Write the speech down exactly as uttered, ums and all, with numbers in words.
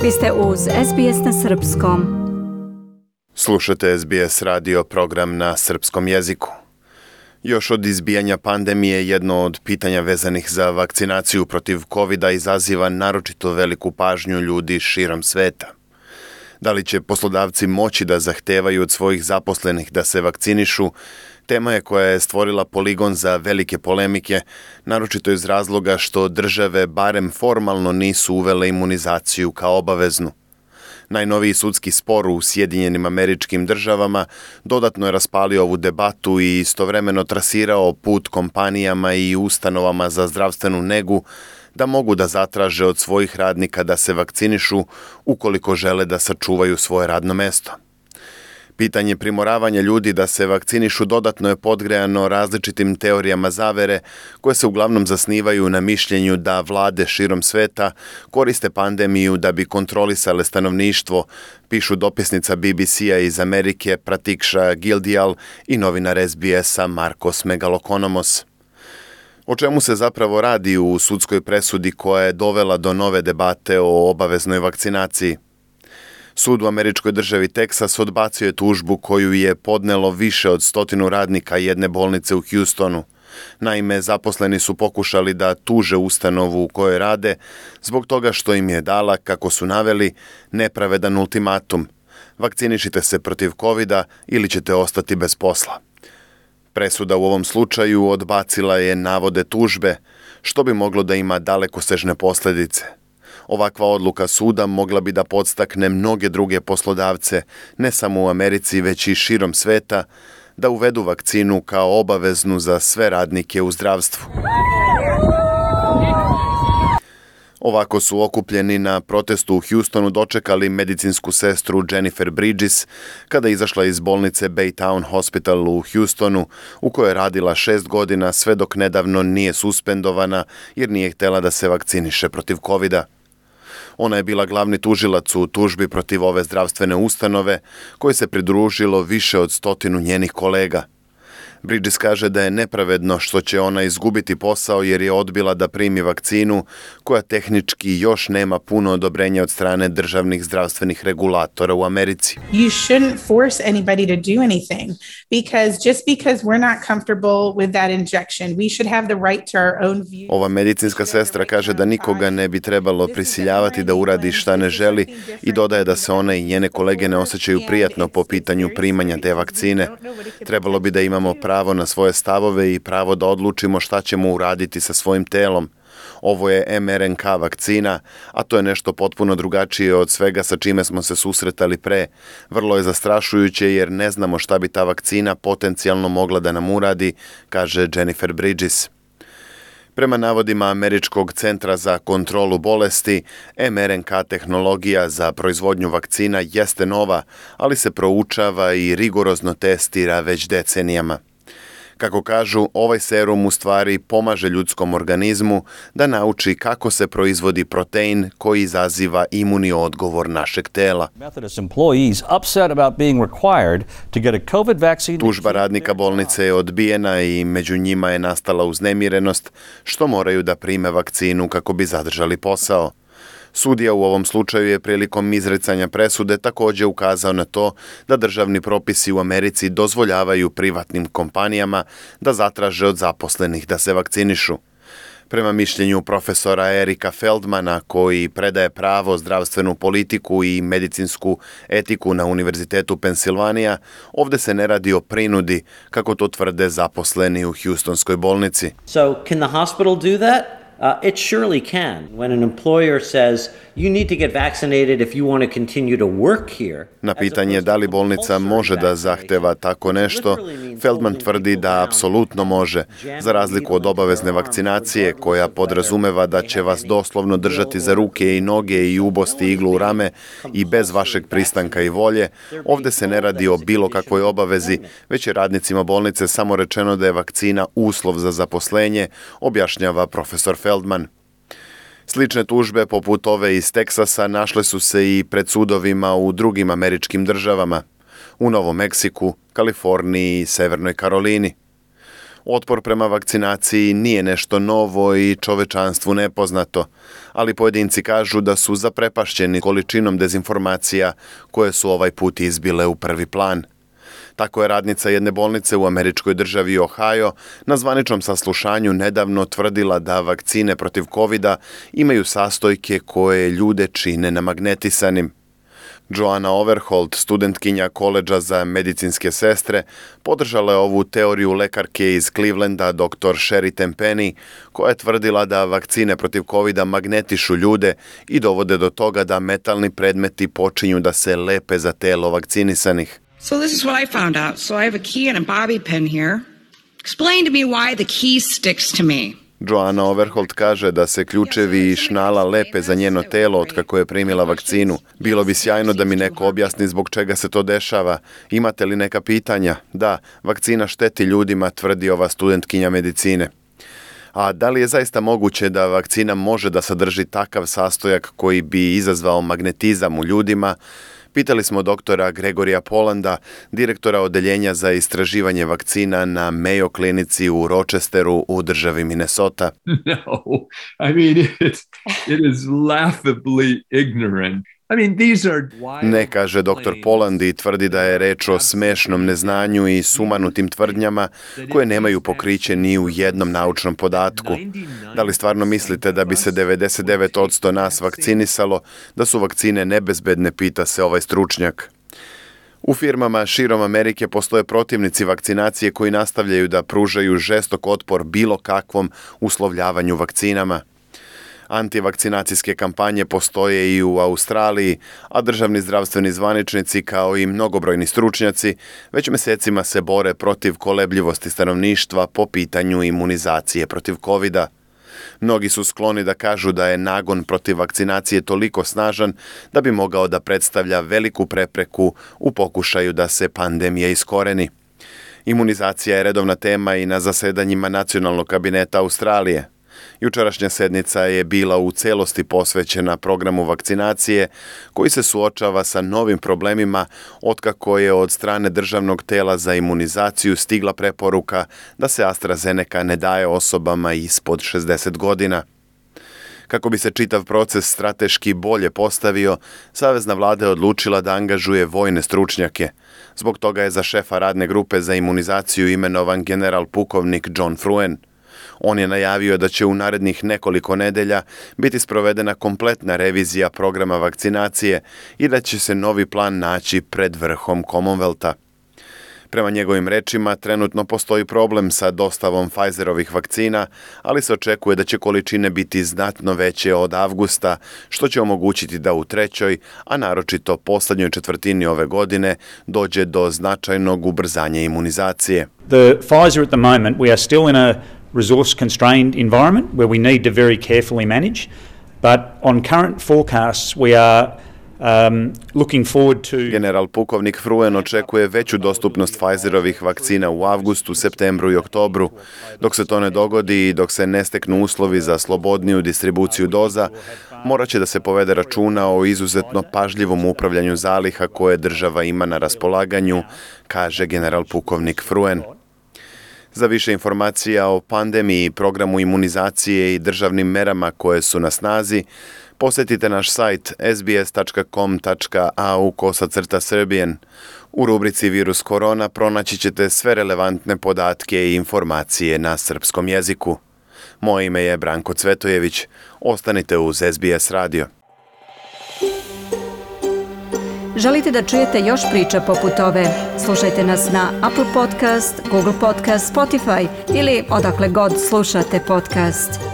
Vi ste uz S B S na srpskom. Slušate S B S radio program na srpskom jeziku. Još od izbijanja pandemije jedno od pitanja vezanih za vakcinaciju protiv kovida izaziva naročito veliku pažnju ljudi širom sveta. Da li će poslodavci moći da zahtevaju od svojih zaposlenih da se vakcinišu, tema je koja je stvorila poligon za velike polemike, naročito iz razloga što države barem formalno nisu uvele imunizaciju kao obaveznu. Najnoviji sudski spor u Sjedinjenim Američkim Državama dodatno je raspalio ovu debatu i istovremeno trasirao put kompanijama i ustanovama za zdravstvenu negu da mogu da zatraže od svojih radnika da se vakcinišu ukoliko žele da sačuvaju svoje radno mesto. Pitanje primoravanja ljudi da se vakcinišu dodatno je podgrejano različitim teorijama zavere koje se uglavnom zasnivaju na mišljenju da vlade širom sveta koriste pandemiju da bi kontrolisale stanovništvo, pišu dopisnica B B C-a iz Amerike Pratikša Gildial i novinar S B S-a Markos Megalokonomos. O čemu se zapravo radi u sudskoj presudi koja je dovela do nove debate o obaveznoj vakcinaciji? Sud u američkoj državi Teksas odbacio je tužbu koju je podnelo više od stotinu radnika jedne bolnice u Houstonu. Naime, zaposleni su pokušali da tuže ustanovu u kojoj rade zbog toga što im je dala, kako su naveli, nepravedan ultimatum. Vakcinišite se protiv kovida ili ćete ostati bez posla. Presuda u ovom slučaju odbacila je navode tužbe, što bi moglo da ima dalekosežne posljedice. Ovakva odluka suda mogla bi da podstakne mnoge druge poslodavce, ne samo u Americi, već i širom sveta, da uvedu vakcinu kao obaveznu za sve radnike u zdravstvu. Ovako su okupljeni na protestu u Houstonu dočekali medicinsku sestru Jennifer Bridges kada je izašla iz bolnice Baytown Hospital u Houstonu, u kojoj je radila šest godina sve dok nedavno nije suspendovana jer nije htjela da se vakciniše protiv kovida. Ona je bila glavni tužilac u tužbi protiv ove zdravstvene ustanove, koje se pridružilo više od stotinu njenih kolega. Bridges kaže da je nepravedno što će ona izgubiti posao jer je odbila da primi vakcinu koja tehnički još nema puno odobrenja od strane državnih zdravstvenih regulatora u Americi. You shouldn't force anybody to do anything because just because we're not comfortable with that injection, we should have the right to our own view. Ova medicinska sestra kaže da nikoga ne bi trebalo prisiljavati da uradi šta ne želi i dodaje da se ona i njene kolege ne osjećaju prijatno po pitanju primanja te vakcine. Trebalo bi da imamo pravo pravo na svoje stavove i pravo da odlučimo šta ćemo uraditi sa svojim telom. Ovo je em er en ka vakcina, a to je nešto potpuno drugačije od svega sa čime smo se susretali pre. Vrlo je zastrašujuće jer ne znamo šta bi ta vakcina potencijalno mogla da nam uradi, kaže Jennifer Bridges. Prema navodima Američkog centra za kontrolu bolesti, em er en ka tehnologija za proizvodnju vakcina jeste nova, ali se proučava i rigorozno testira već decenijama. Kako kažu, ovaj serum u stvari pomaže ljudskom organizmu da nauči kako se proizvodi protein koji izaziva imuni odgovor našeg tela. Tužba radnika bolnice je odbijena i među njima je nastala uznemirenost što moraju da prime vakcinu kako bi zadržali posao. Sudija u ovom slučaju je prilikom izricanja presude također ukazao na to da državni propisi u Americi dozvoljavaju privatnim kompanijama da zatraže od zaposlenih da se vakcinišu. Prema mišljenju profesora Erika Feldmana, koji predaje pravo, zdravstvenu politiku i medicinsku etiku na Univerzitetu Pensilvanija, ovdje se ne radi o prinudi, kako to tvrde zaposleni u Houstonskoj bolnici. So, can the hospital do that? Uh, it surely can. When an employer says you need to get vaccinated if you want to continue to work here. Na pitanje da li bolnica može da zahteva tako nešto, Feldman tvrdi da apsolutno može, za razliku od obavezne vakcinacije koja podrazumeva da će vas doslovno držati za ruke i noge i ubosti iglu u rame i bez vašeg pristanka i volje. Ovdje se ne radi o bilo kakvoj obavezi, već je radnicima bolnice samo rečeno da je vakcina uslov za zaposlenje, objašnjava profesor Feldman. Slične tužbe poput ove iz Teksasa našle su se i pred sudovima u drugim američkim državama, u Novom Meksiku, Kaliforniji i Severnoj Karolini. Otpor prema vakcinaciji nije nešto novo i čovečanstvu nepoznato, ali pojedinci kažu da su zaprepašćeni količinom dezinformacija koje su ovaj put izbile u prvi plan. Tako je radnica jedne bolnice u američkoj državi Ohio na zvaničnom saslušanju nedavno tvrdila da vakcine protiv kovida imaju sastojke koje ljude čine namagnetisanim. Joanna Overholt, studentkinja koledža za medicinske sestre, podržala je ovu teoriju lekarke iz Clevelanda doktor Sherry Tenpenny, koja je tvrdila da vakcine protiv kovida magnetišu ljude i dovode do toga da metalni predmeti počinju da se lepe za telo vakcinisanih. So this is what I found out. So I have a key and a bobby pin here. Explain to me why the key sticks to me. Joanna Overholt kaže da se ključevi i šnala lepe za njeno telo od kako je primila vakcinu. Bilo bi sjajno da mi neko objasni zbog čega se to dešava. Imate li neka pitanja? Da, vakcina šteti ljudima, tvrdi ova studentkinja medicine. A da li je zaista moguće da vakcina može da sadrži takav sastojak koji bi izazvao magnetizam u ljudima? Pitali smo doktora Gregorija Polanda, direktora odeljenja za istraživanje vakcina na Mayo klinici u Rochesteru u državi Minnesota. No, I mean, it, it is laughably ignorant. I mean, these are... Ne, kaže doktor Poland i tvrdi da je reč o smešnom neznanju i sumanutim tvrdnjama koje nemaju pokriće ni u jednom naučnom podatku. Da li stvarno mislite da bi se devedeset devet posto nas vakcinisalo, da su vakcine nebezbedne, pita se ovaj stručnjak. U firmama širom Amerike postoje protivnici vakcinacije koji nastavljaju da pružaju žestok otpor bilo kakvom uslovljavanju vakcinama. Antivakcinacijske kampanje postoje i u Australiji, a državni zdravstveni zvaničnici kao i mnogobrojni stručnjaci već mesecima se bore protiv kolebljivosti stanovništva po pitanju imunizacije protiv kovida. Mnogi su skloni da kažu da je nagon protiv vakcinacije toliko snažan da bi mogao da predstavlja veliku prepreku u pokušaju da se pandemija iskoreni. Imunizacija je redovna tema i na zasedanjima Nacionalnog kabineta Australije. Jučerašnja sednica je bila u celosti posvećena programu vakcinacije koji se suočava sa novim problemima otkako je od strane državnog tela za imunizaciju stigla preporuka da se AstraZeneca ne daje osobama ispod šezdeset godina. Kako bi se čitav proces strateški bolje postavio, Savezna vlada je odlučila da angažuje vojne stručnjake. Zbog toga je za šefa radne grupe za imunizaciju imenovan general pukovnik John Fruen. On je najavio da će u narednih nekoliko nedelja biti sprovedena kompletna revizija programa vakcinacije i da će se novi plan naći pred vrhom Commonwealtha. Prema njegovim rečima, trenutno postoji problem sa dostavom Pfizerovih vakcina, ali se očekuje da će količine biti znatno veće od avgusta, što će omogućiti da u trećoj, a naročito poslednjoj četvrtini ove godine, dođe do značajnog ubrzanja imunizacije. The Pfizer at the moment, we are still in a resource-constrained environment where we need to very carefully manage, but on current forecasts we are um, looking forward to... General pukovnik Fruen očekuje veću dostupnost Pfizerovih vakcina u avgustu, septembru i oktobru. Dok se to ne dogodi i dok se ne steknu uslovi za slobodniju distribuciju doza, morat će da se povede računa o izuzetno pažljivom upravljanju zaliha koje država ima na raspolaganju, kaže general pukovnik Fruen. Za više informacija o pandemiji, programu imunizacije i državnim merama koje su na snazi, posjetite naš sajt s b s tačka com tačka a u kosacrta Serbian. U rubrici Virus korona pronaći ćete sve relevantne podatke i informacije na srpskom jeziku. Moje ime je Branko Cvetojević. Ostanite uz S B S radio. Želite da čujete još priča poput ove? Slušajte nas na Apple Podcast, Google Podcast, Spotify ili odakle god slušate podcast.